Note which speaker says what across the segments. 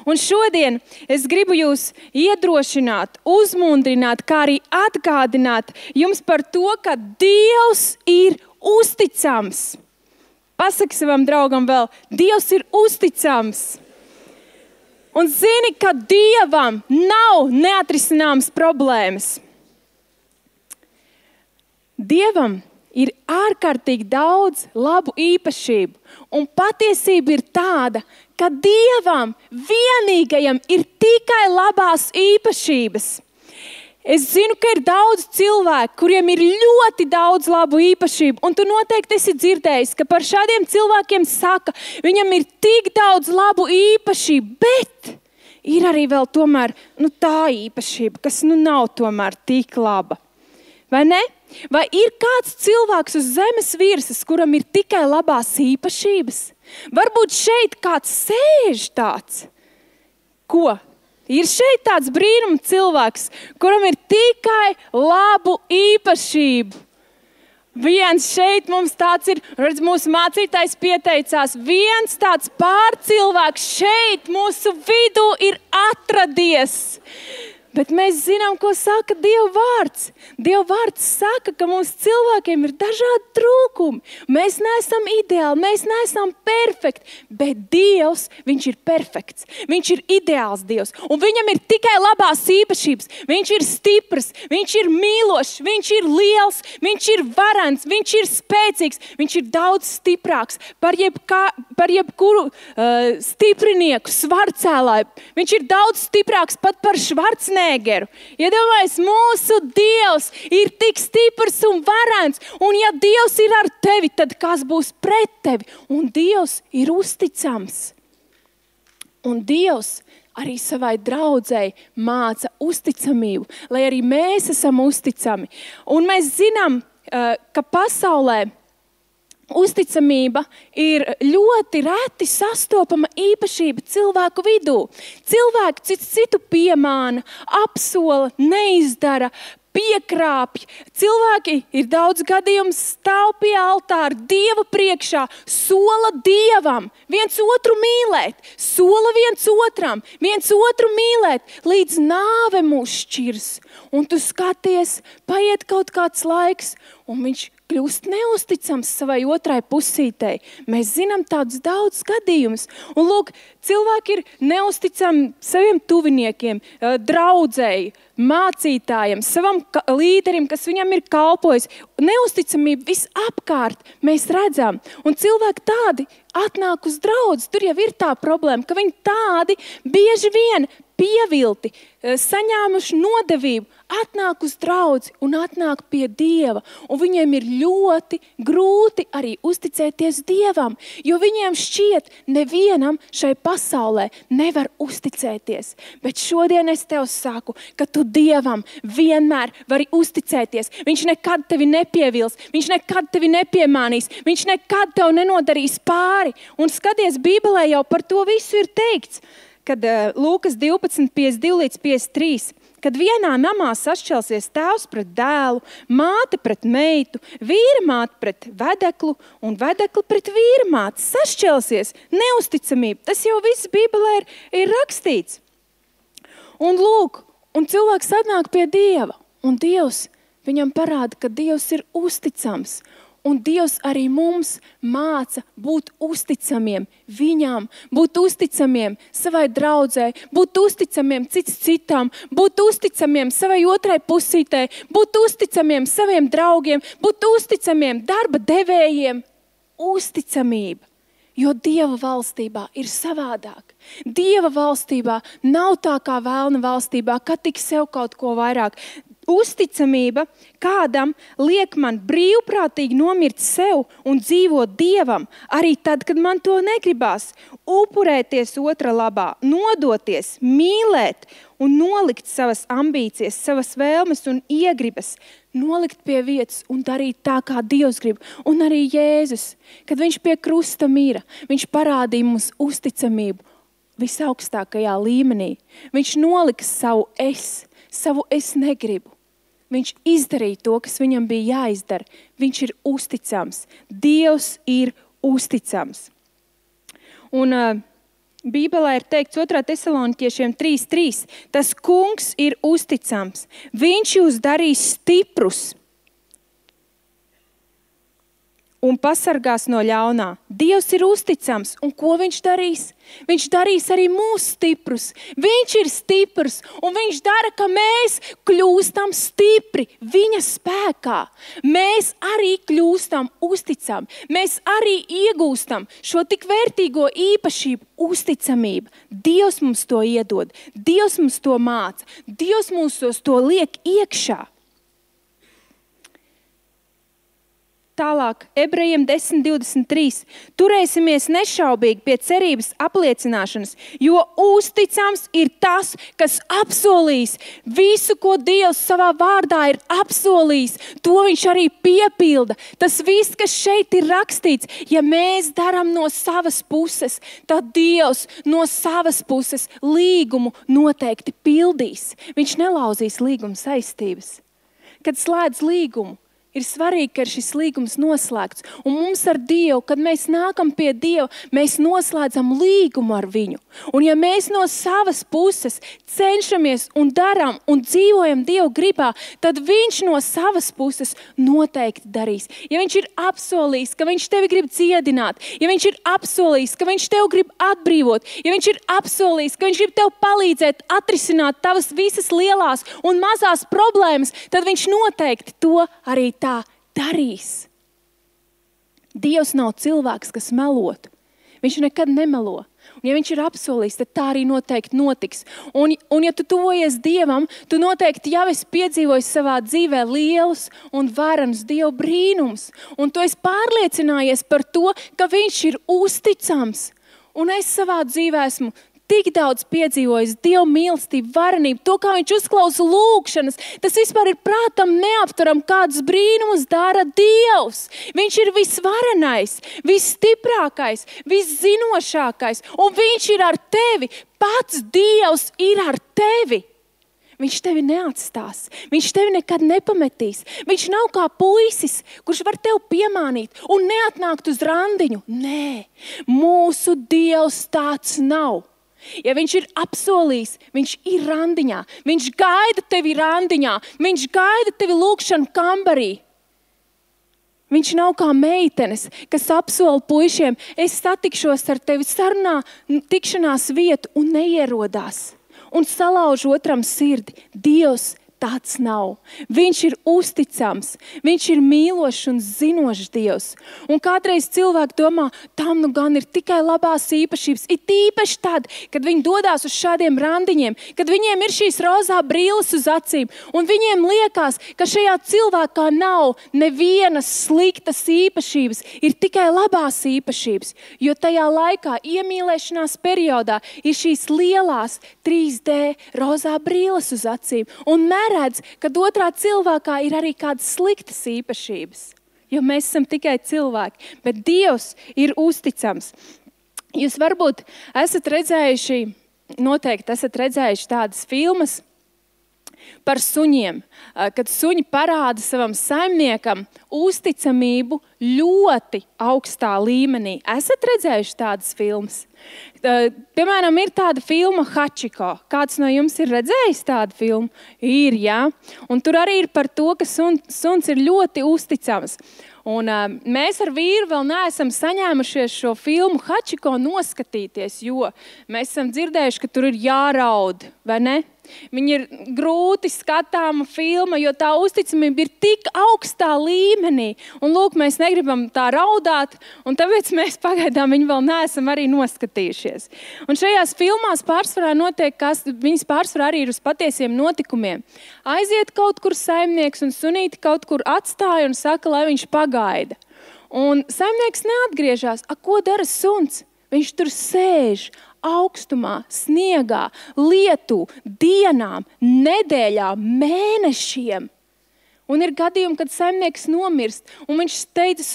Speaker 1: Un šodien es gribu jūs iedrošināt, uzmundrināt, kā arī atgādināt jums par to, ka Dievs ir uzticams. Pasaki savam draugam vēl, Dievs ir uzticams. Un zini, ka Dievam nav neatrisināmas problēmas. Dievam ir ārkārtīgi daudz labu īpašību. Un patiesība ir tāda, ka Dievam vienīgajam ir tikai labās īpašības. Es zinu, ka ir daudz cilvēku, kuriem ir ļoti daudz labu īpašību, un tu noteikti esi dzirdējis, ka par šādiem cilvēkiem saka, viņam ir tik daudz labu īpašību, bet ir arī vēl tomēr tā īpašība, kas nav tomēr tik laba. Vai ne? Vai ir kāds cilvēks uz zemes virsmas, kuram ir tikai labās īpašības? Varbūt šeit kāds sēž tāds. Ko? Ir šeit tāds brīnum cilvēks, kuram ir tikai labu īpašību. Viens šeit mums tāds ir, redz, mūsu mācītājs pieteicās, viens tāds pārcilvēks šeit mūsu vidū ir atradies. Bet mēs zinām, ko saka Dieva vārds. Dieva vārds saka, ka mums cilvēkiem ir dažādi trūkumi. Mēs neesam ideāli, mēs neesam perfekti, bet Dievs, viņš ir perfekts. Viņš ir ideāls Dievs, un viņam ir tikai labās īpašības. Viņš ir stiprs, viņš ir mīlošs, viņš ir liels, viņš ir varens, viņš ir spēcīgs, viņš ir daudz stiprāks par jebkuru stiprinieku, svarcēlāju. Viņš ir daudz stiprāks pat par Švarcnegeru. Iedomājies, mūsu Dievs ir tik stiprs un varens, un ja Dievs ir ar tevi, tad kas būs pret tevi? Un Dievs ir uzticams. Un Dievs arī savai draudzei māca uzticamību, lai arī mēs esam uzticami. Un mēs zinām, ka pasaulē uzticamība ir ļoti reti sastopama īpašība cilvēku vidū. Cilvēki citu piemāna, apsola, neizdara, piekrāpj. Cilvēki ir daudz gadījumu stāv pie altāra, Dieva priekšā, sola Dievam viens otru mīlēt, sola viens otru mīlēt, līdz nāve mūs šķirs. Un tu skaties, paiet kaut kāds laiks, un viņš kļūst neusticams savai otrai pusītei. Mēs zinām tādus daudz gadījumus. Un lūk, cilvēki ir neusticami saviem tuviniekiem, draudzēji, mācītājiem, savam līderim, kas viņam ir kalpojis. Neusticamība visapkārt mēs redzam. Un cilvēki tādi atnāk uz draudzi. Tur jau ir tā problēma, ka viņi tādi bieži vien pievilti, saņēmuši nodevību, atnāk uz draudzi un atnāk pie Dieva. Un viņiem ir ļoti grūti arī uzticēties Dievam, jo viņiem šķiet, nevienam šai pasaulē nevar uzticēties. Bet šodien es tev saku, ka tu Dievam vienmēr vari uzticēties. Viņš nekad tevi nepievils, viņš nekad tevi nepiemānīs, viņš nekad tev nenodarīs pāri. Un skaties, Bībelē jau par to visu ir teikts. Kad Lūkas 12, 52 līdz 53, kad vienā namā sašķelsies tēvs pret dēlu, māte pret meitu, vīra māte pret vedeklu un vedekli pret vīra māti, sašķelsies neusticamība. Tas jau viss Bībelē ir rakstīts. Un lūk, un cilvēks atnāk pie Dieva, un Dievs viņam parāda, ka Dievs ir uzticams. Un Dievs arī mums māca būt uzticamiem viņam, būt uzticamiem savai draudzē, būt uzticamiem cits citam, būt uzticamiem savai otrai pusītei, būt uzticamiem saviem draugiem, būt uzticamiem darba devējiem. Uzticamība, jo Dieva valstībā ir savādāk. Dieva valstībā nav tā kā vēlna valstībā, ka tik sev kaut ko vairāk. Uzticamība kādam liek man brīvprātīgi nomirt sev un dzīvot Dievam, arī tad, kad man to negribās. Upurēties otra labā, nodoties, mīlēt un nolikt savas ambīcijas, savas vēlmes un iegribas, nolikt pie vietas un darīt tā, kā Dievs grib. Un arī Jēzus, kad viņš pie krusta mira, viņš parādīja mums uzticamību visaugstākajā līmenī. Viņš nolika savu es negribu. Viņš izdarīja to, kas viņam bija jāizdara. Viņš ir uzticams. Dievs ir uzticams. Un Bībelē ir teikts 2. Tesaloniķiešiem 3:3. Tas kungs ir uzticams. Viņš jūs darīs stiprus un pasargās no ļaunā. Dievs ir uzticams. Un ko viņš darīs? Viņš darīs arī mūs stiprus. Viņš ir stiprs. Un viņš dara, ka mēs kļūstam stipri viņa spēkā. Mēs arī kļūstam uzticami. Mēs arī iegūstam šo tik vērtīgo īpašību uzticamību. Dievs mums to iedod. Dievs mums to māca. Dievs mums to liek iekšā. Tālāk, Ebrejiem 10:23. Turēsimies nešaubīgi pie cerības apliecināšanas, jo uzticams ir tas, kas apsolīs visu, ko Dievs savā vārdā ir apsolījis. To viņš arī piepilda. Tas viss, kas šeit ir rakstīts, ja mēs darām no savas puses, tad Dievs no savas puses līgumu noteikti pildīs. Viņš nelauzīs līguma saistības. Kad slēdz līgumu, ir svarīgi, ka šis līgums noslēgts. Un mums ar Dievu, kad mēs nākam pie Dieva, mēs noslēdzam līgumu ar viņu. Un ja mēs no savas puses cenšamies un darām un dzīvojam Dievu gribā, tad viņš no savas puses noteikti darīs. Ja viņš ir apsolījis, ka viņš tevi grib dziedināt, ja viņš ir apsolījis, ka viņš tevi grib atbrīvot, ja viņš ir apsolījis, ka viņš grib tev palīdzēt atrisināt tavas visas lielās un mazās problēmas, tad viņš noteikti to arī tā darīs. Dievs nav cilvēks, kas melotu. Viņš nekad nemelo. Un ja viņš ir apsolījis, tad tā arī noteikti notiks. Un ja tu tuvojies Dievam, tu noteikti jau esi piedzīvojis savā dzīvē lielus un varenus Dieva brīnums. Un tu esi pārliecinājies par to, ka viņš ir uzticams. Un es savā dzīvē esmu tik daudz piedzīvojis Dieva mīlestību, varenību, to, kā viņš uzklausa lūgšanas. Tas vispār ir prātam neapturam, kādus brīnumus dara Dievs. Viņš ir visvarenais, visstiprākais, viszinošākais, un viņš ir ar tevi. Pats Dievs ir ar tevi. Viņš tevi neatstās. Viņš tevi nekad nepametīs. Viņš nav kā puisis, kurš var tevi piemānīt un neatnākt uz randiņu. Nē, mūsu Dievs tāds nav. Ja viņš ir apsolījis, viņš ir randiņā. Viņš gaida tevi randiņā. Viņš gaida tevi lūgšanu kambarī. Viņš nav kā meitenes, kas apsola puišiem, es satikšos ar tevi sarunā, tikšanās vietu un neierodās. Un salauž otram sirdi. Dievs tāds nav. Viņš ir uzticams. Viņš ir mīlošs un zinošs Dievs. Un kādreiz cilvēki domā, tam nu gan ir tikai labās īpašības. It īpaši tad, kad viņi dodās uz šādiem randiņiem, kad viņiem ir šīs rozā brīles uz acīm, un viņiem liekas, ka šajā cilvēkā nav nevienas sliktas īpašības, ir tikai labās īpašības. Jo tajā laikā, iemīlēšanās periodā, ir šīs lielās 3D rozā brīles uz acīm. Un redz, ka otrā cilvēkā ir arī kādas sliktas īpašības. Jo mēs esam tikai cilvēki, bet Dievs ir uzticams. Jūs varbūt noteikti esat redzējuši tādas filmas par suņiem, kad suņi parāda savam saimniekam uzticamību ļoti augstā līmenī. Esat redzējuši tādas filmas? Piemēram, ir tāda filma Hachiko. Kāds no jums ir redzējis tādu filmu? Ir, jā. Un tur arī ir par to, ka suns ir ļoti uzticams. Un mēs ar vīru vēl neesam saņēmušies šo filmu Hachiko noskatīties, jo mēs esam dzirdējuši, ka tur ir jāraud, vai ne? Viņa ir grūti skatāma filma, jo tā uzticamība ir tik augstā līmenī. Un lūk, mēs negribam tā raudāt, un tāpēc mēs pagaidām viņu vēl neesam arī noskatījušies. Un šajās filmās pārsvarā notiek, viņas pārsvarā arī ir uz patiesiem notikumiem. Aiziet kaut kur saimnieks un sunīti kaut kur atstāja un saka, lai viņš pagaida. Un saimnieks neatgriežas. Ko dara suns? Viņš tur sēž augstumā, sniegā, lietu, dienām, nedēļām, mēnešiem. Un ir gadījumi, kad saimnieks nomirst, un viņš steidzas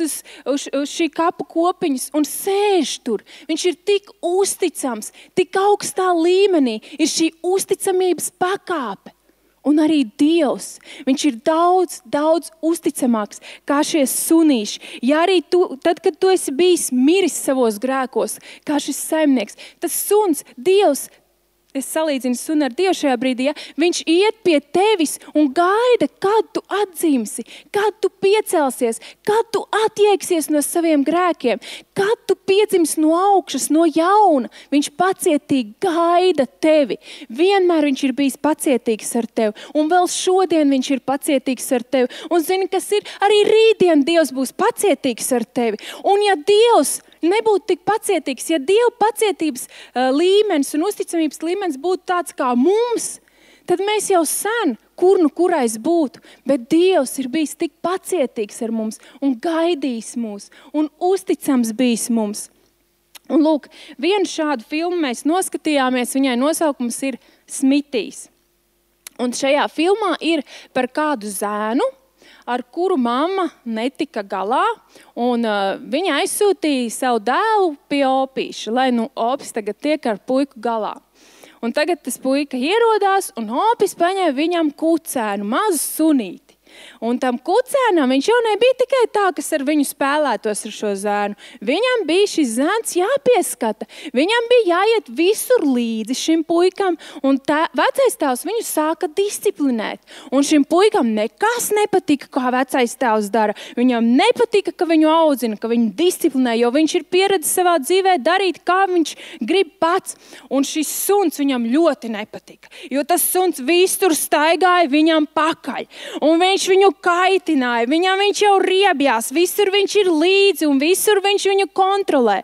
Speaker 1: uz šī kapu kopiņas un sēž tur. Viņš ir tik uzticams, tik augstā līmenī, ir šī uzticamības pakāpe. Un arī Dievs, viņš ir daudz, daudz uzticamāks kā šie sunīši. Ja arī tad, kad tu esi bijis miris savos grēkos, kā šis saimnieks, tas suns, Dievs, es salīdzinu sunu ar Dievu šajā brīdī, ja? Viņš iet pie tevis un gaida, kad tu atdzimsi, kad tu piecelsies, kad tu attieksies no saviem grēkiem, kad tu piedzimsi no augšas, no jauna. Viņš pacietīgi gaida tevi. Vienmēr viņš ir bijis pacietīgs ar tevi. Un vēl šodien viņš ir pacietīgs ar tevi. Un zini, kas ir? Arī rītdien Dievs būs pacietīgs ar tevi. Un ja Dievs nebūtu tik pacietīgs, ja Dieva pacietības līmenis un uzticamības līmenis būtu tāds kā mums, tad mēs jau sen kurais būtu. Bet Dievs ir bijis tik pacietīgs ar mums un gaidījis mūs un uzticams bijis mums. Un lūk, vienu šādu filmu mēs noskatījāmies, viņai nosaukums ir Smitijs. Un šajā filmā ir par kādu zēnu, ar kuru mamma netika galā, un viņa aizsūtīja savu dēlu pie opīša, lai opis tagad tiek ar puiku galā. Un tagad tas puika ierodās, un opis paņēma viņam kucēnu, mazu sunīti. Un tam kucēnam viņš jau nebija tikai tā, kas ar viņu spēlētos ar šo zēnu. Viņam bija šis zēns jāpieskata. Viņam bija jāiet visur līdzi šim puikam, un vecais tēvs viņu sāka disciplinēt. Un šim puikam nekas nepatika, kā vecais tēvs dara. Viņam nepatika, ka viņu audzina, ka viņu disciplinē, jo viņš ir pieredzis savā dzīvē darīt, kā viņš grib pats. Un šis suns viņam ļoti nepatika, jo tas suns visur staigāja viņam pakaļ. Un viņš viņu kaitināja, viņš jau riebjās, visur viņš ir līdzi un visur viņš viņu kontrolē.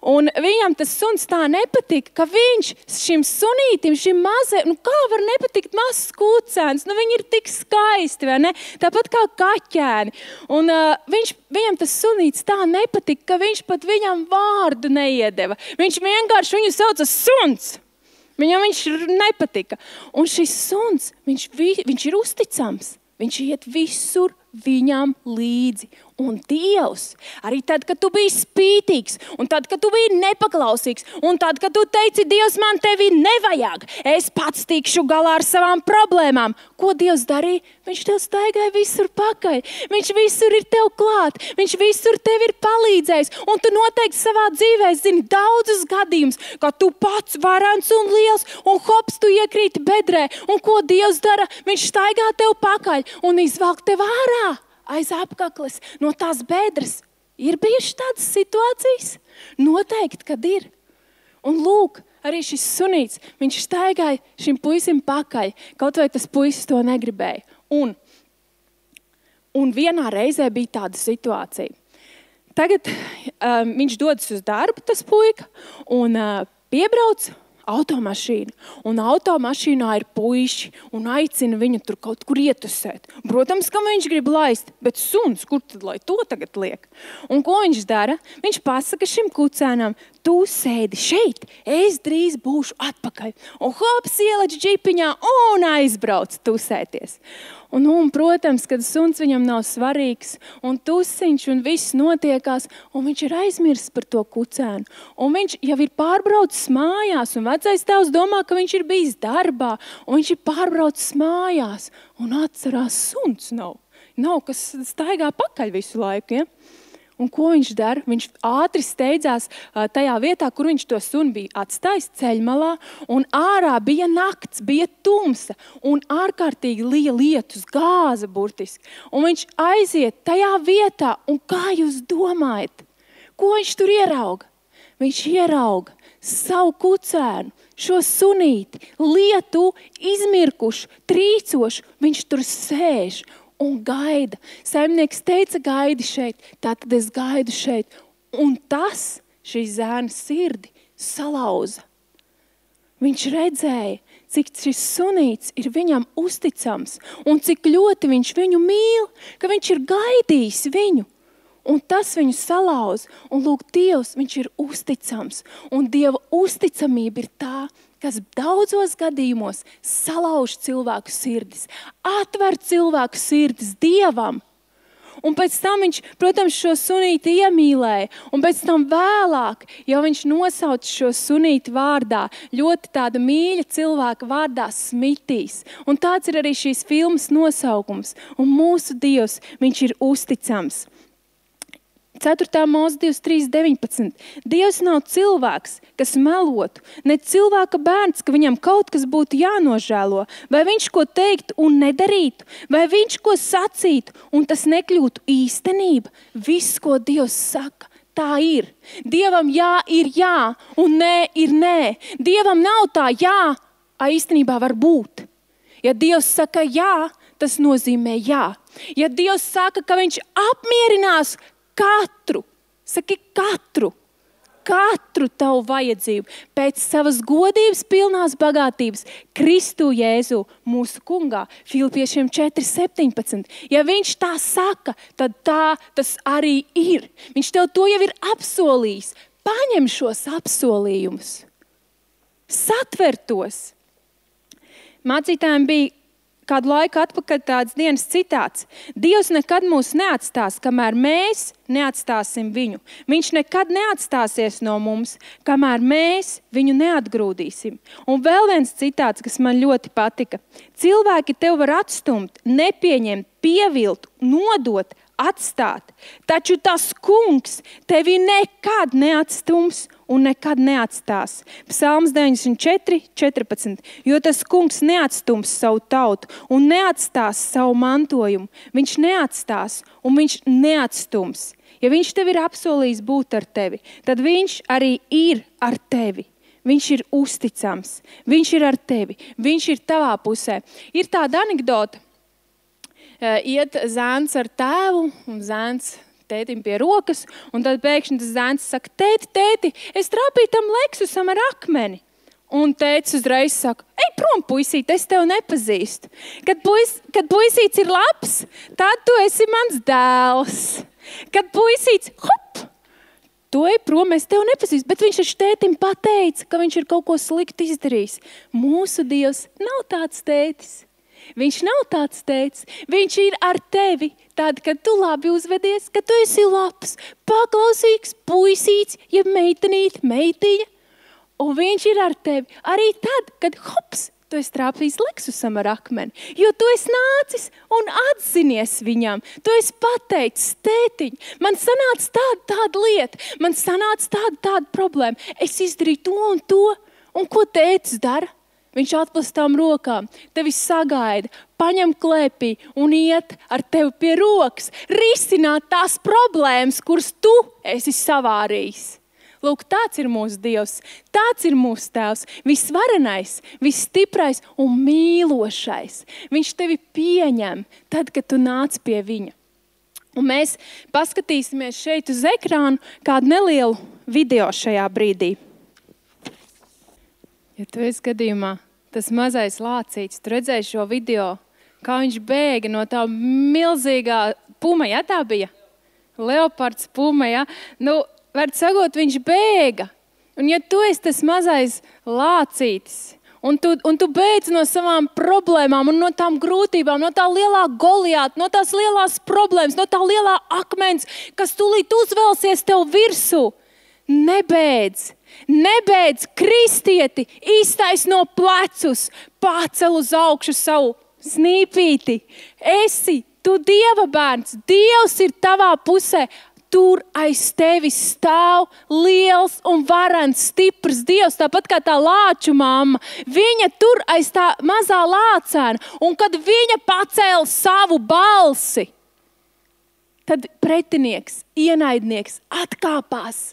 Speaker 1: Un viņam tas suns tā nepatika, ka viņš šim sunītim, šim mazajam, kā var nepatikt mazs kucēns, viņi ir tik skaisti, vai ne? Tāpat kā kaķēni. Un viņam tas sunīts tā nepatika, ka viņš pat viņam vārdu neiedeva. Viņš vienkārši viņu sauca suns. Viņam viņš nepatika. Un šis suns, viņš ir uzticams. Viņš iet visur viņam līdzi. Un Dievs, arī tad, kad tu biji spītīgs, un tad, kad tu biji nepaklausīgs, un tad, kad tu teici, Dievs, man tevi nevajag, es pats tikšu galā ar savām problēmām. Ko Dievs darīja? Viņš tev staigāja visur pakaļ. Viņš visur ir tev klāt. Viņš visur tev ir palīdzējis. Un tu noteikti savā dzīvē zini daudzus gadījumus, ka tu pats varens un liels, un hops, tu iekrīti bedrē. Un ko Dievs dara? Viņš staigā tev pakaļ un izvelk tev ārā aiz apkakles no tās bedres. Ir bijušas tādas situācijas? Noteikti, kad ir. Un lūk, arī šis sunīts, viņš staigāja šim puisim pakaļ, kaut vai tas puisis to negribēja. Un vienā reizē bija tāda situācija. Tagad viņš dodas uz darbu, tas puika, un piebrauc automašīnu. Un automašīnā ir puiši un aicina viņu tur kaut kur ietusēt. Protams, ka viņš grib laist, bet suns, kur tad lai to tagad liek? Un ko viņš dara? Viņš pasaka šim kucēnam, tu sēdi šeit, es drīz būšu atpakaļ. Un hops ielec džipiņā un aizbrauc tusēties. Un, protams, kad suns viņam nav svarīgs, un tusiņš, un viss notiekās, un viņš ir aizmirsis par to kucēnu. Un viņš jau ir pārbraucis mājās, un vecais tēvs domā, ka viņš ir bijis darbā, un viņš ir pārbraucis mājās, un atcerās, suns nav. Nav, kas staigā pakaļ visu laiku, ja? Un ko viņš dara? Viņš ātri steidzās tajā vietā, kur viņš to sunu bija atstājis ceļmalā, un ārā bija nakts, bija tumsa, un ārkārtīgi liela lietus, gāza burtiski. Un viņš aiziet tajā vietā, un kā jūs domājat, ko viņš tur ierauga? Viņš ierauga savu kucēnu, šo sunīti, lietu, izmirkušu, trīcošu, viņš tur sēž un gaida. Saimnieks teica, gaidi šeit, tātad es gaidu šeit. Un tas šī zēna sirdi salauza. Viņš redzēja, cik šis sunīts ir viņam uzticams un cik ļoti viņš viņu mīl, ka viņš ir gaidījis viņu. Un tas viņu salauza. Un lūk, Dievs, viņš ir uzticams. Un Dieva uzticamība ir tā, kas daudzos gadījumos salauž cilvēku sirdis, atver cilvēku sirdis Dievam. Un pēc tam viņš, protams, šo sunīti iemīlēja. Un pēc tam vēlāk, jau viņš nosauca šo sunīti vārdā, ļoti tāda mīļa cilvēka vārdā Smitīs. Un tāds ir arī šīs filmas nosaukums. Un mūsu Dievs, viņš ir uzticams. 4. Mūzes 23:19. Dievs nav cilvēks, kas melotu, ne cilvēka bērns, ka viņam kaut kas būtu jānožēlo, vai viņš ko teiktu un nedarītu, vai viņš ko sacītu un tas nekļūtu īstenība. Viss, ko Dievs saka, tā ir. Dievam jā ir jā un nē ir nē. Dievam nav tā jā, īstenībā var būt. Ja Dievs saka jā, tas nozīmē jā. Ja Dievs saka, ka viņš apmierinās katru tavu vajadzību pēc savas godības pilnās bagātības Kristu Jēzu mūsu kungā. Filipiešiem 4:17. Ja viņš tā saka, tad tā tas arī ir. Viņš tev to jau ir apsolījis. Paņem šos apsolījumus. Satver tos. Mācītājiem bija kādu laiku atpakaļ tāds dienas citāts. Dievs nekad mūs neatstās, kamēr mēs neatstāsim viņu. Viņš nekad neatstāsies no mums, kamēr mēs viņu neatgrūdīsim. Un vēl viens citāts, kas man ļoti patika. Cilvēki tev var atstumt, nepieņemt, pievilt, nodot, atstāt. Taču tas kungs tevi nekad neatstums un nekad neatstās. Psalms 94:14. Jo tas kungs neatstums savu tautu un neatstās savu mantojumu. Viņš neatstās un viņš neatstums. Ja viņš tev ir apsolījis būt ar tevi, tad viņš arī ir ar tevi. Viņš ir uzticams. Viņš ir ar tevi. Viņš ir tavā pusē. Ir tāda anekdota. Iet zēns ar tēvu un zēns tētim pie rokas, un tad pēkšņi tas zēns saka, tēti, es trāpīju tam Leksusam ar akmeni. Un tētis uzreiz saka, ej prom, puisīt, es tev nepazīstu. Kad puisīts ir labs, tad tu esi mans dēls. Kad puisīts, hop, tu ej prom, es tev nepazīstu. Bet viņš ar tētim pateica, ka viņš ir kaut ko sliktu izdarījis. Mūsu Dievs nav tāds tētis. Viņš nav tāds tētis. Viņš ir ar tevi tad, kad tu labi uzvedies, kad tu esi labs, paklausīgs puisīts, ja meitiņa. Un viņš ir ar tevi arī tad, kad hops, tu esi trāpījis Leksusam ar akmeni. Jo tu esi nācis un atzinies viņam. Tu esi pateicis, tētiņ, man sanāca tāda lieta, man sanāca tāda problēma. Es izdarīju to un to. Un ko tētis dara? Viņš atplastām rokām, tevi sagaida, paņem klēpī un iet ar tevi pie rokas, risināt tās problēmas, kuras tu esi savārījis. Lūk, tāds ir mūsu Dievs, tāds ir mūsu Tēvs, visvarenais, visstiprais un mīlošais. Viņš tevi pieņem tad, kad tu nāc pie viņa. Un mēs paskatīsimies šeit uz ekrānu kādu nelielu video šajā brīdī. Ja tu esi gadījumā tas mazais lācīts, tu redzēji šo video, kā viņš bēga no tā milzīgā puma, ja tā bija? Leopards puma, ja? Nu, var sagot, viņš bēga. Un ja tu esi tas mazais lācītis, un tu beidz no savām problēmām un no tām grūtībām, no tā lielā Goliāta, no tās lielās problēmas, no tā lielā akmens, kas tūlīt uzvelsies tev virsū, Nebeidz, kristieti, iztaisno plecus, pacel uz augšu savu snīpīti. Tu Dieva bērns, Dievs ir tavā pusē. Tur aiz tevis stāv liels un varens, stiprs Dievs, tāpat kā tā lāču mamma. Viņa tur aiz tā mazā lācēna, un kad viņa pacēla savu balsi, tad pretinieks, ienaidnieks atkāpās.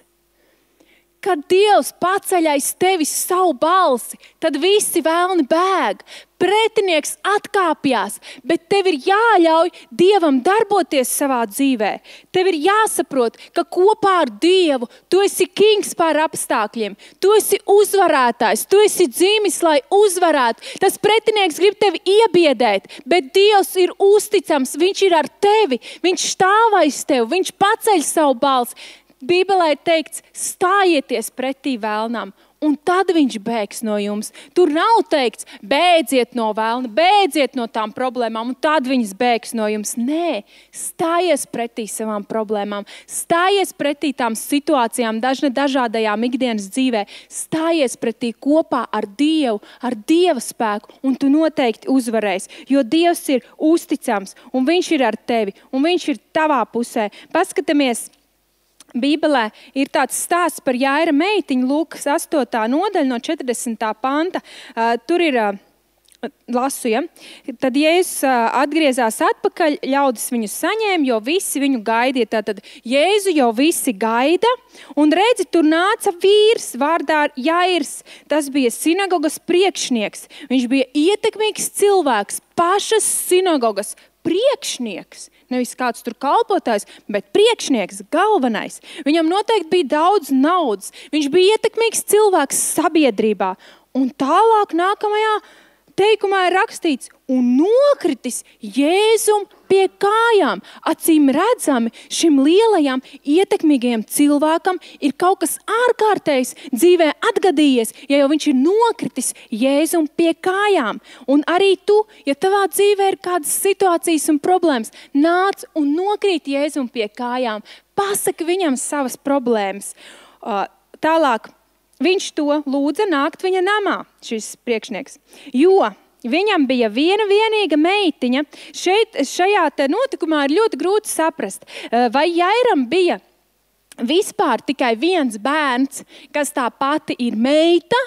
Speaker 1: Kad Dievs paceļ aiz tevis savu balsi, tad visi vēlni bēg. Pretinieks atkāpjās, bet tev ir jāļauj Dievam darboties savā dzīvē. Tev ir jāsaprot, ka kopā ar Dievu tu esi kings pār apstākļiem. Tu esi uzvarētājs, tu esi dzimis, lai uzvarētu. Tas pretinieks grib tevi iebiedēt, bet Dievs ir uzticams, viņš ir ar tevi, viņš stāv aiz tevi, viņš paceļ savu balsi. Bībelē ir teikts, stājieties pretī vēlnam un tad viņš bēgs no jums. Tur nav teikts, bēdziet no vēlna, bēdziet no tām problēmām, un tad viņas bēgs no jums. Nē, stājies pretī savām problēmām, stājies pretī tām situācijām, dažādajām ikdienas dzīvē, stājies pretī kopā ar Dievu, ar Dieva spēku, un tu noteikti uzvarēsi, jo Dievs ir uzticams, un viņš ir ar tevi, un viņš ir tavā pusē. Paskatāmies, Bībelē ir tāds stāsts par Jaira meitiņu, Lūkas 8. nodaļa no 40. panta. Tur ir, lasu, ja? Tad Jēzus atgriezās atpakaļ, ļaudis viņu saņēma, jo visi viņu gaidīja. Tātad Jēzu jau visi gaida, un redzi, tur nāca vīrs vārdā Jairs. Tas bija sinagogas priekšnieks. Viņš bija ietekmīgs cilvēks, pašas sinagogas priekšnieks. Nevis kāds tur kalpotājs, bet priekšnieks, galvenais. Viņam noteikti bija daudz naudas. Viņš bija ietekmīgs cilvēks sabiedrībā. Un tālāk nākamajā teikumā ir rakstīts, un nokritis Jēzum pie kājām. Acīm redzami šim lielajam, ietekmīgajam cilvēkam ir kaut kas ārkārtējs dzīvē atgadījies, ja jau viņš ir nokritis Jēzum pie kājām. Un arī tu, ja tavā dzīvē ir kādas situācijas un problēmas, nāc un nokrīt Jēzum pie kājām. Pasaki viņam savas problēmas. Tālāk, viņš to lūdza nākt viņa namā, šis priekšnieks, jo viņam bija viena vienīga meitiņa. Šajā notikumā ir ļoti grūti saprast, vai Jairam bija vispār tikai viens bērns, kas tā pati ir meita,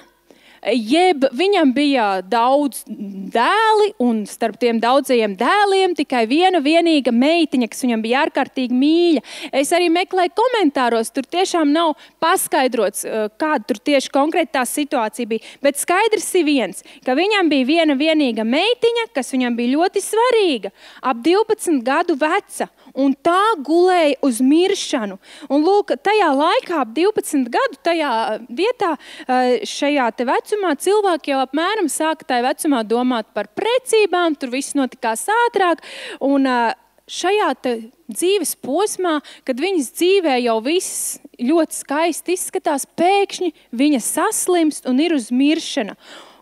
Speaker 1: jeb viņam bija daudz dēli, un starp tiem daudzajiem dēliem tikai viena vienīga meitiņa, kas viņam bija ārkārtīgi mīļa. Es arī meklēju komentāros, tur tiešām nav paskaidrots, kāda tur tieši konkrēti tā situācija bija. Bet skaidrs ir viens, ka viņam bija viena vienīga meitiņa, kas viņam bija ļoti svarīga, ap 12 gadu veca, un tā gulēja uz miršanu. Un lūk, tajā laikā, ap 12 gadu, tajā vietā, šajā te vecumā, cilvēki jau apmēram sāka tajā vecumā domāt par precībām, tur viss notikās ātrāk, un šajā te dzīves posmā, kad viņas dzīvē jau viss ļoti skaisti izskatās, pēkšņi viņa saslimst un ir uz miršanu.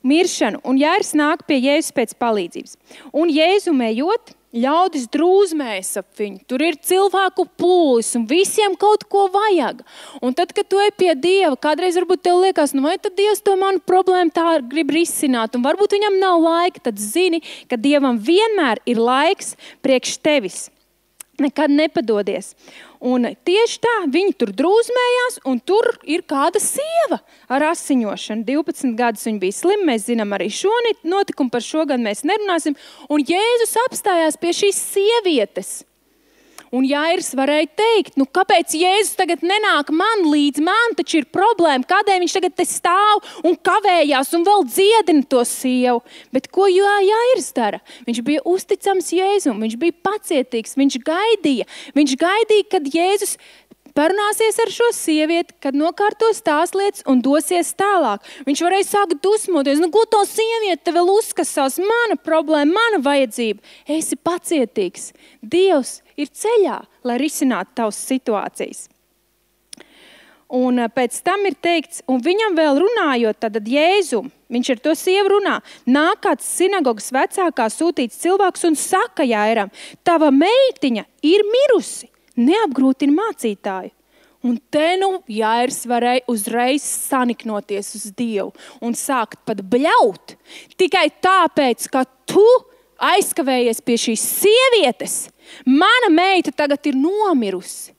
Speaker 1: Un Jairs nāk pie Jēzus pēc palīdzības. Un Jēzum ejot, ļaudis drūzmējas ap viņu. Tur ir cilvēku pūlis un visiem kaut ko vajag. Un tad, kad tu ej pie Dieva, kādreiz varbūt tev liekas, nu vai tad Dievs to manu problēmu tā grib risināt, un varbūt viņam nav laika, tad zini, ka Dievam vienmēr ir laiks priekš tevis. Nekad nepadodies. Un tieši tā, viņi tur drūzmējās, un tur ir kāda sieva ar asiņošanu. 12 gadus viņa bija slima, mēs zinām arī šo notikumu, par šo gan mēs nerunāsim. Un Jēzus apstājās pie šīs sievietes. Un Jairs varēja teikt, nu kāpēc Jēzus tagad nenāk man līdz, man taču ir problēma, kādēļ viņš tagad te stāv un kavējās un vēl dziedina to sievu. Bet ko Jairs dara? Viņš bija uzticams Jēzum, viņš bija pacietīgs, viņš gaidīja, kad Jēzus parunāsies ar šo sievieti, kad nokārtos tās lietas un dosies tālāk. Viņš varēja sākt dusmoties, nu ko to sievieti te vēl uzkasās, mana problēma, mana vajadzība. Esi pacietīgs. Dievs ir ceļā, lai risinātu tavas situācijas. Un pēc tam ir teikts, un viņam vēl runājot, tad Jēzum, viņš ar to sievu runā, nāk kāds sinagogas vecākā sūtīts cilvēks un saka Jairam, tava meitiņa ir mirusi, neapgrūtini mācītāju. Un te nu Jairs varēja uzreiz saniknoties uz Dievu un sākt pat bļaut, tikai tāpēc, ka tu aizkavējies pie šīs sievietes, mana meita tagad ir nomirusi.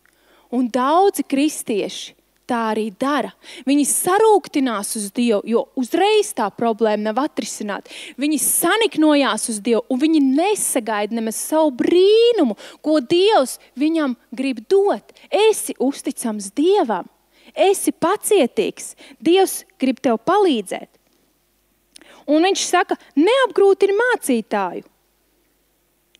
Speaker 1: Un daudzi kristieši tā arī dara. Viņi sarūktinās uz Dievu, jo uzreiz tā problēma nav atrisināta. Viņi saniknojās uz Dievu, un viņi nesagaida nemaz savu brīnumu, ko Dievs viņam grib dot. Esi uzticams Dievam, esi pacietīgs, Dievs grib tev palīdzēt. Un viņš saka, neapgrūtini mācītāju.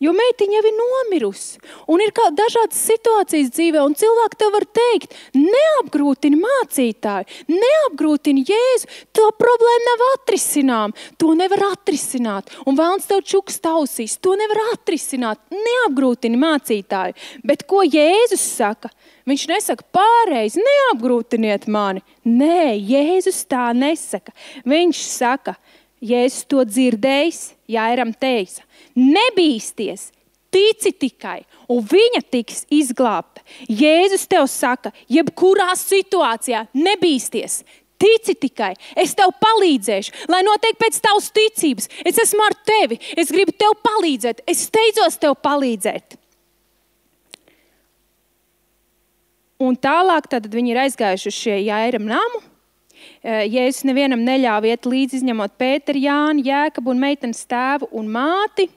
Speaker 1: Jo meitiņa jau ir nomirusi. Un ir dažādas situācijas dzīvē, un cilvēki tev var teikt, neapgrūtini mācītāju, neapgrūtini Jēzu, to problēmu nav atrisinām, to nevar atrisināt. Un vēlns tev čuks tausīs, to nevar atrisināt, neapgrūtini mācītāju. Bet ko Jēzus saka? Viņš nesaka pārreiz, neapgrūtiniet mani. Nē, Jēzus tā nesaka. Viņš saka, Jēzus to dzirdējis, Jairam teica, nebīsties, tici tikai, un viņa tiks izglābta. Jēzus tev saka, jebkurā situācijā nebīsties, tici tikai, es tev palīdzēšu, lai notiek pēc tavas ticības. Es esmu ar tevi, es gribu tev palīdzēt, es steidzos tev palīdzēt. Un tālāk tad viņi ir aizgājuši uz šie Jairam namu. Jēzus nevienam neļāva iet līdzi, izņemot Pēteru, Jāni, Jēkabu un meitenes tēvu un māti.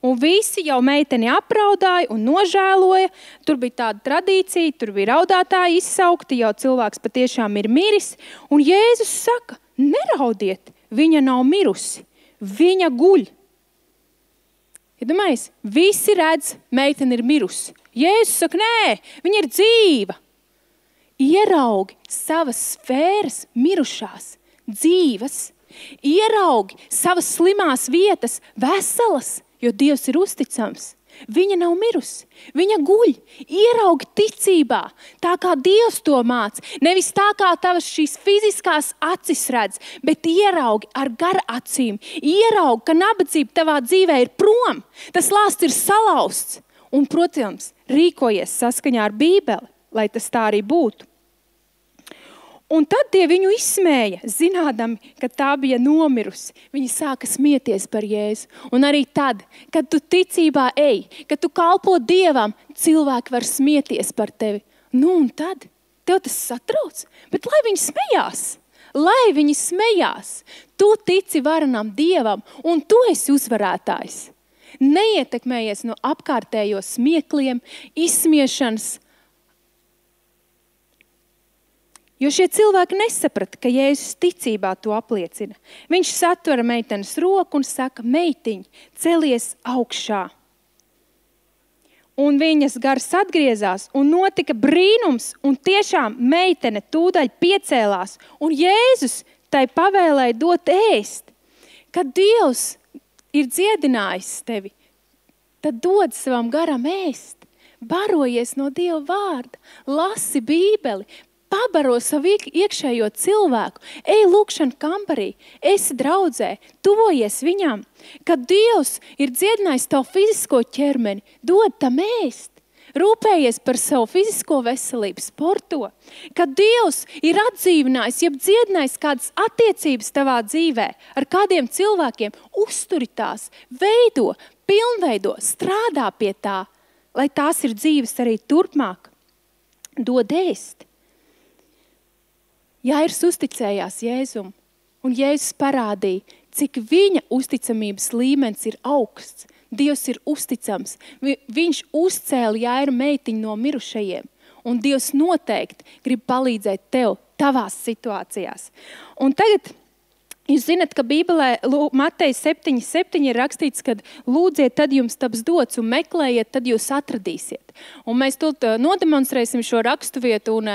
Speaker 1: Un visi jau meiteni apraudāja un nožēloja. Tur bija tāda tradīcija, tur bija raudātāji izsaukti, jau cilvēks patiešām ir miris. Un Jēzus saka, neraudiet, viņa nav mirusi, viņa guļ. Ja domājies, visi redz, meitene ir mirusi. Jēzus saka, nē, viņa ir dzīva. Ieraugi savas sfēras mirušās, dzīvas. Ieraugi savas slimās vietas veselas, jo Dievs ir uzticams. Viņa nav mirusi, viņa guļ. Ieraugi ticībā, tā kā Dievs to māca. Nevis tā kā tavas šīs fiziskās acis redz, bet ieraugi ar gar acīm. Ieraugi, ka nabadzība tavā dzīvē ir prom. Tas lāsts ir salauzts. Un, protams, rīkojies saskaņā ar Bībeli, lai tas tā arī būtu. Un tad tie viņu izsmēja, zinādami, ka tā bija nomirusi. Viņi sāka smieties par Jēzu. Un arī tad, kad tu ticībā ej, kad tu kalpo Dievam, cilvēki var smieties par tevi. Nu un tad tev tas satrauc, bet lai viņi smējās. Lai viņi smējās. Tu tici varenam Dievam un tu esi uzvarētājs. Neietekmējies no apkārtējo smiekliem, izsmiešanas. Jo šie cilvēki nesaprata, ka Jēzus ticībā to apliecina. Viņš satvera meitenes roku un saka, meitiņ, celies augšā. Un viņas gars atgriezās un notika brīnums, un tiešām meitene tūdaļ piecēlās. Un Jēzus tai pavēlēja dot ēst. Kad Dievs ir dziedinājis tevi, tad dod savam garam ēst. Barojies no Dieva vārda, lasi Bībeli, pabaro savu iekšējo cilvēku, ej lūkšana kambarī, esi draudzē, tuvojies viņam. Kad Dievs ir dziedinājis tavu fizisko ķermeni, dod tam ēst. Rūpējies par savu fizisko veselību, sporto. Kad Dievs ir atdzīvinājis, jeb dziedinājis kādas attiecības tavā dzīvē ar kādiem cilvēkiem, uzturi tās, veido, pilnveido, strādā pie tā, lai tās ir dzīves arī turpmāk. Dod ēst. Jairs uzticējās Jēzum, un Jēzus parādīja, cik viņa uzticamības līmenis ir augsts. Dievs ir uzticams. Viņš uzcēla Jairu meitiņu no mirušajiem, un Dievs noteikti grib palīdzēt tev tavās situācijās. Un tagad, jūs zinat, ka Bībelē Mateja 7:7 ir rakstīts, kad lūdziet, tad jums taps dots, un meklējiet, tad jūs atradīsiet. Un mēs tūlīt nodemonstrēsim šo raksturvietu, un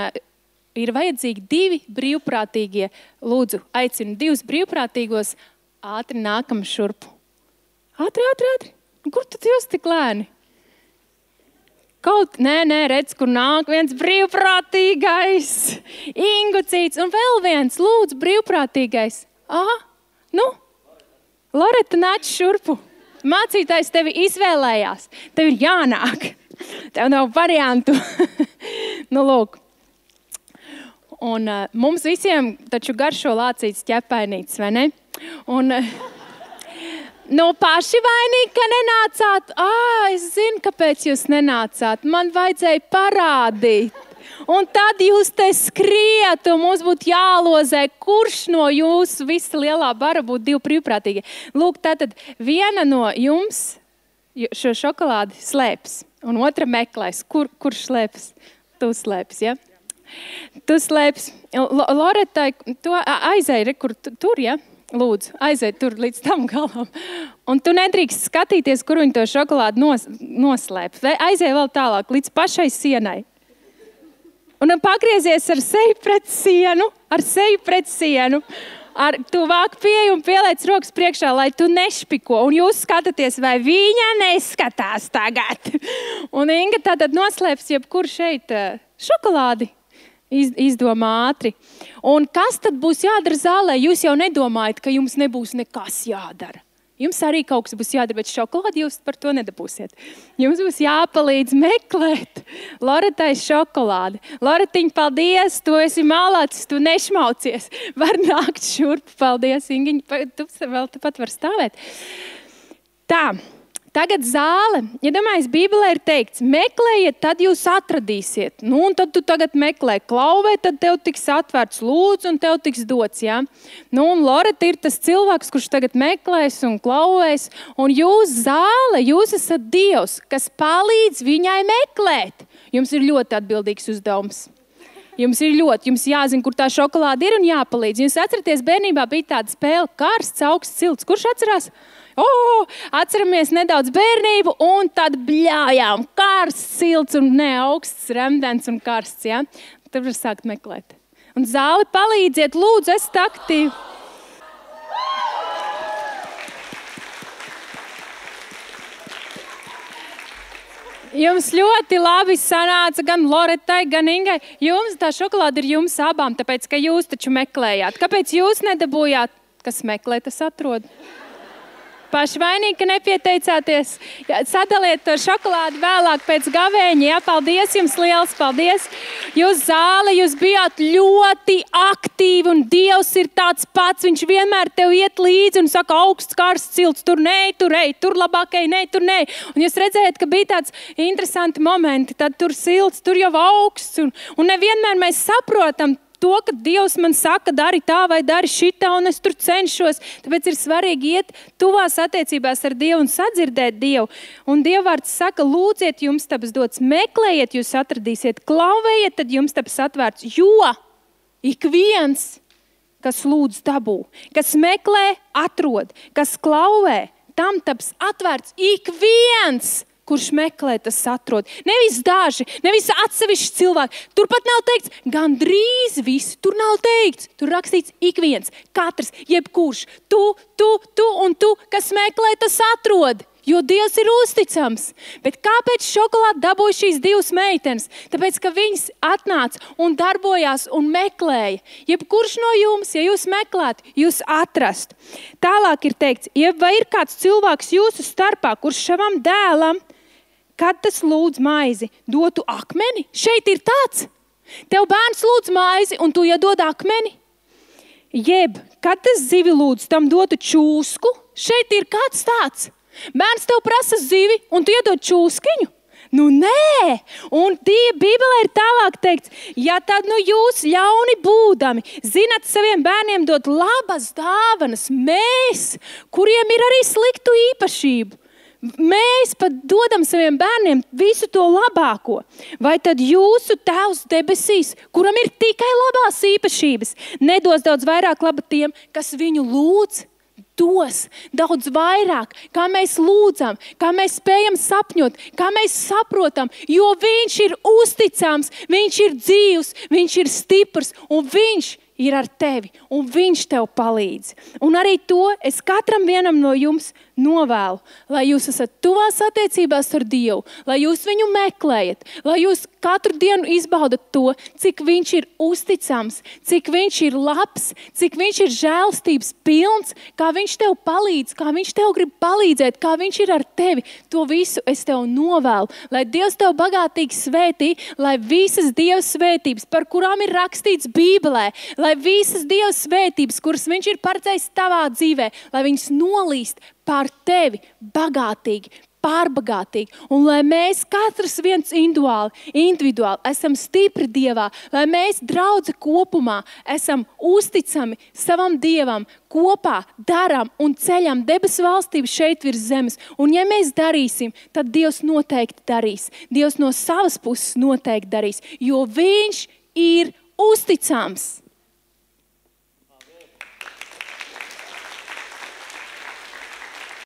Speaker 1: ir vajadzīgi 2 brīvprātīgie. Lūdzu, aicinu 2 brīvprātīgos. Ātri nākam šurpu. Ātri. Kur tad jūs tik lēni? Nē, redz, kur nāk viens brīvprātīgais. Ingucīts un vēl viens, lūdzu, brīvprātīgais. Loreta, nāc šurpu. Mācītājs tevi izvēlējās. Tev ir jānāk. Tev nav variantu. Lūk. Un mums visiem taču garšo lācīts ķepainīts, vai ne? Un paši vainīgi, ka nenācāt. Es zinu, kāpēc jūs nenācāt. Man vajadzēja parādīt. Un tad jūs te skriet, un mums būtu jālozē, kurš no jūsu visa lielā bara būtu 2 brīvprātīgie. Lūk, tātad viena no jums šo šokolādi slēps, un otra meklēs. Kurš slēps? Tu slēps, ja? Tu slēps. Loretai, tu aizēji, kur tur, ja? Lūdzu, aiziet tur līdz tam galam. Un tu nedrīkst skatīties, kur viņi to šokolādi noslēp. Aiziet vēl tālāk, līdz pašai sienai. Un pagriezies ar seju pret sienu, ar tuvāk pieeju un pieliec rokas priekšā, lai tu nešpiko. Un jūs skatāties, vai viņa neskatās tagad. Un Inga tātad noslēps jebkur šeit šokolādi. Izdomā ātri. Un kas tad būs jādara zālē? Jūs jau nedomājat, ka jums nebūs nekas jādara. Jums arī kaut kas būs jādara, bet šokolādi jūs par to nedabūsiet. Jums būs jāpalīdz meklēt Loretai šokolādi. Loretiņ, paldies, tu esi malācis, tu nešmaucies. Var nākt šurp, paldies, Ingiņ, tu vēl tepat var stāvēt. Tā. Tagad zāle, ja domājies, Bībelē ir teikts, meklējiet, tad jūs atradīsiet. Nu, un tad tu tagad meklē, klauvē, tad tev tiks atvērts lūdzu un tev tiks dots, jā. Nu, un Loreta ir tas cilvēks, kurš tagad meklēs un klauvēs. Un jūs zāle, jūs esat Dievs, kas palīdz viņai meklēt. Jums ir ļoti atbildīgs uzdevums. Jums jāzina, kur tā šokolāde ir un jāpalīdz. Jūs atceraties, bērnībā bija tāda spēle karsts, augsts, silts. Kurš atcerās? Atceramies nedaudz bērnību un tad bļājām. Karsts, silts un augsts, remdens un karsts. Ja? Tad var sākt meklēt. Un zāli palīdziet, lūdzu, esat aktīvi. Jums ļoti labi sanāca gan Loretai, gan Ingai. Jums tā šokolāde ir jums abām, tāpēc, ka jūs taču meklējāt. Kāpēc jūs nedabūjāt? Kas meklē, tas atrod. Paši vainīgi, ka nepieteicāties. Sadaliet to šokolādi vēlāk pēc gavēņa. Jā, paldies jums liels, paldies. Jūs zāle, jūs bijāt ļoti aktīvi un Dievs ir tāds pats. Viņš vienmēr tev iet līdzi un saka augsts, karsts, silts. Tur nē, tur ej, tur labāk ej, nē, tur nē. Un jūs redzējat, ka bija tāds interesanti momenti. Tad tur silts, tur jau augsts. Un nevienmēr mēs saprotam to, ka Dievs man saka, dari tā vai dari šitā, un es tur cenšos. Tāpēc ir svarīgi iet tuvās attiecībās ar Dievu un sadzirdēt Dievu. Un Dievvārds saka, lūdziet, jums taps dots, meklējiet, jūs atradīsiet, klauvējiet, tad jums taps atvērts. Jo ik viens, kas lūdz dabū, kas meklē, atrod, kas klauvē, tam taps atvērts. Ik viens, kurš meklē, tas atrod. Nevis daži, nevis atsevišķi cilvēki. Tur pat nav teikts, gandrīz visi. Tur nav teikts. Tur rakstīts ik viens, katrs, jebkurš. Tu un tu, kas meklē, tas atrod. Jo Dievs ir uzticams. Bet kāpēc šokolādi dabūja šīs divas meitenes? Tāpēc, ka viņas atnāca un darbojās un meklēja. Jebkurš no jums, ja jūs meklētu, jūs atrastu. Tālāk ir teikts, vai ir kāds cilvēks jūsu starpā, kurš savam dēlam, kad tas lūdz maizi, dotu akmeni? Šeit ir tāds. Tev bērns lūdz maizi un tu iedod akmeni. Jeb, kad tas zivi lūdz, tam dotu čūsku? Šeit ir kāds tāds. Bērns tev prasa zivi un tu iedod čūskiņu? Nu nē, un Bībelē ir tālāk teikts, ja tad jūs ļauni būdami, zinat saviem bērniem dot labas dāvanas, mēs, kuriem ir arī sliktu īpašību. Mēs pat dodam saviem bērniem visu to labāko. Vai tad jūsu Tēvs debesīs, kuram ir tikai labās īpašības, nedos daudz vairāk laba tiem, kas viņu lūdz? Dos daudz vairāk, kā mēs lūdzam, kā mēs spējam sapņot, kā mēs saprotam, jo viņš ir uzticams, viņš ir dzīvs, viņš ir stiprs un viņš ir ar tevi un viņš tev palīdz. Un arī to es katram vienam no jums novēlu, lai jūs esat tuvās attiecībās ar Dievu, lai jūs viņu meklējat, lai jūs katru dienu izbaudat to, cik viņš ir uzticams, cik viņš ir labs, cik viņš ir žēlstības pilns, kā viņš tev palīdz, kā viņš tev grib palīdzēt, kā viņš ir ar tevi. To visu es tev novēlu, lai Dievs tev bagātīgi svētī, lai visas Dieva svētības, par kurām ir rakstīts Bībelē, lai visas Dieva svētības, kuras viņš ir paredzējis tavā dzīvē, lai viņas nolīst pār tevi bagātīgi, pārbagātīgi. Un lai mēs katrs viens individuāli esam stipri Dievā, lai mēs draudze kopumā esam uzticami savam Dievam, kopā darām un ceļam debesu valstību šeit virs zemes. Un ja mēs darīsim, tad Dievs noteikti darīs. Dievs no savas puses noteikti darīs, jo viņš ir uzticams.